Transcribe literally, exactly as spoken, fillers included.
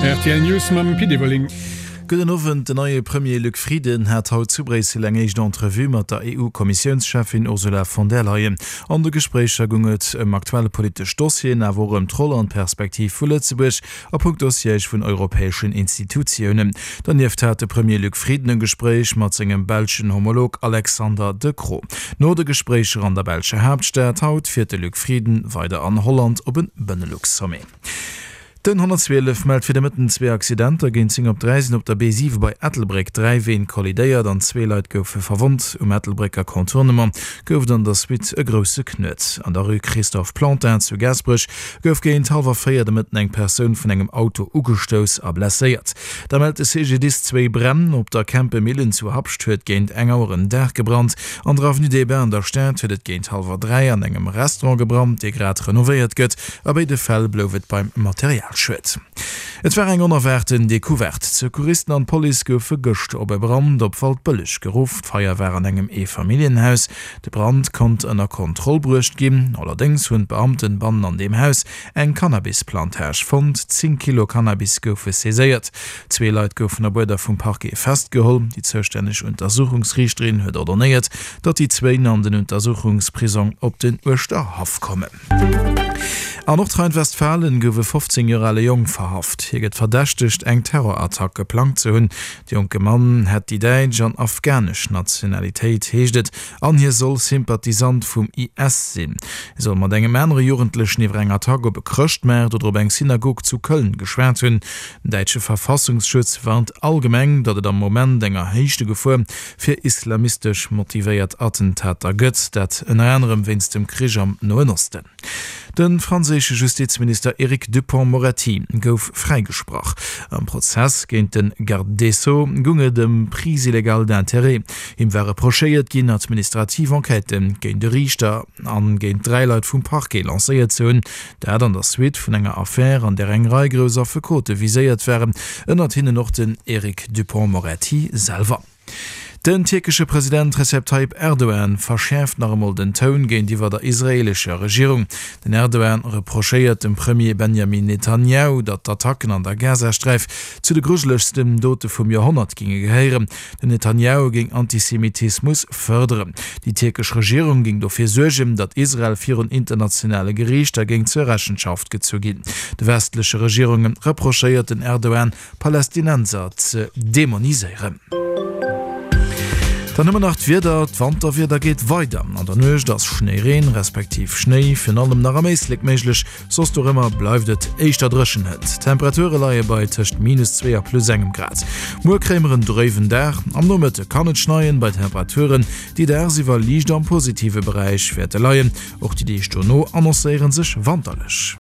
Rtl News mam Pit Everling. Gudden Owend, Den neie Premier Luc Frieden hat haut zu Bréissel eng éischt Entrevue mat der EU-Kommissiounscheffin Ursula von der Leyen. An de Gespréicher goung et ëm aktuell politesch Dossieren, awer och ëm d'Roll an d'Perspektiv vu Lëtzebuerg a punkto Siège vun europäeschen Institutiounen. Donieft hat de Premier Luc Frieden e Gespréich mat sengem belschen Homolog Alexander De Croo. No de Gespréicher an der belscher Haaptstad haut fiert de Luc Frieden weider an Holland op e Benelux-Sommet. Den honnertzwielef mellt fir de Mëtten zwee Accidenter. Géint zéng op dräi sinn op der B siwe bei Ettelbréck dräi Ween kollidéiert an zwee Leit goufe verwonnt. Um Ettelbrécker Contournement gouf et an der Suite e grousse Knuet. An der Rue Christophe Plantin zu Gaasperech gouf géint hallwer véier de Mëtten eng Persoun vun engem Auto ugestouss a blesséiert. Da mellt de C G D I S zwéi Bränn. Op der Kempemillen zu Habscht huet géint eng Auer en Daach gebrannt. An der Avenue des Bains an der Stad huet et géint hallwer dräi an engem Restaurant gebrannt, dee grad renovéiert gëtt. A béide Fäll blouf et beim Materialschued. Et war eng onerwaarten Decouverte. D'Secouristen an d'Police goufe gëscht op e Brand op Waldbëlleg geruff. D'Feier war an engem Eefamilljenhaus. De Brand konnt ënner Kontroll bruecht ginn. Allerdéngs hunn d'Beamten bannen an deem Haus eng Cannabisplantage fonnt. Zéng Kilo Cannabis goufe saiséiert. Zwee Leit goufen op Uerder vum Parquet festgeholl. Déi zoustänneg Untersuchungsriichterin huet ordonéiert, datt déi zwéin an den Untersuchungsprisong op den Uerschterhaff kommen. An Nordrhein-Westfalen gouf e fofzéng Joer ale Jong verhaft. Hie gëtt verdächtegt, eng Terrorattack geplangt ze hunn. De jonke Mann hätt déi däitsch an afghanesch Nationalitéit, heescht et, an hie soll Sympathisant vum I S sinn. Hie soll mat engem anere Jugendlechen iwwer eng Attack op e Chrëschtmaart oder op eng Synagog zu Köln geschwat hunn. Den däitsche Verfassungsschutz warnt allgemeng, datt et am Moment eng erhéichte Gefor fir islamistesch motivéiert Attentater gëtt, dat ënner anerem wéinst dem Krich am Noen Osten. De franséische Justizminister Eric Dupond-Moretti gouf fräigesprach. Am Prozess géint de Garde des Sceaux goung et ëm Prise illégale d'intérêts. Him war reprochéiert ginn, administrativ Enquêtë géint de Riichter an géint dräi Leit vum Parquet lancéiert ze hunn. Dat an der Suite vun enger Affär, an där eng Rei grouss Affekote viséiert waren, ënnert hinnen och den Eric Dupond-Moretti selwer. Den tierkesche President Recep Tayyip Erdogan verschäerft nach emol den Toun géintiwwer der israeelescher Regierung. Den Erdogan reprochéiert dem Premier Benjamin Netanjahu, datt d'Attacken an der Gazasträif zu de grujelegsten Dote vum Joerhonnert géinge gehéieren. Den Netanjahu géing Antisemitismus fërderen. Déi tierkesch Regierung géing dofir suergen, datt Israel virun internationale Geriichter géing zur Rechenschaft gezu ginn. De westleche Regierunge reprochéiert den Erdogan, Palästinenser ze demoniséieren. Dann hu mer nach d'Wieder, D'Wanterwieder geet weider. An der Nuecht ass Schnéireen, respektiv Schnéi, virun allem nach am Éislek méiglech, soss dorëmmer bleift et éischter dréchen hënt. D'Temperature leie bei tëscht minus zwee a plus engem Grad. Muer kréie mer en dréiwen Dag, am Nomëtte kann et schneien, bei Temperaturen, déi dagsiwwer liicht am positive Beräich wäerte leien. Och déi Deeg dono annoncéiere sech wanterlech.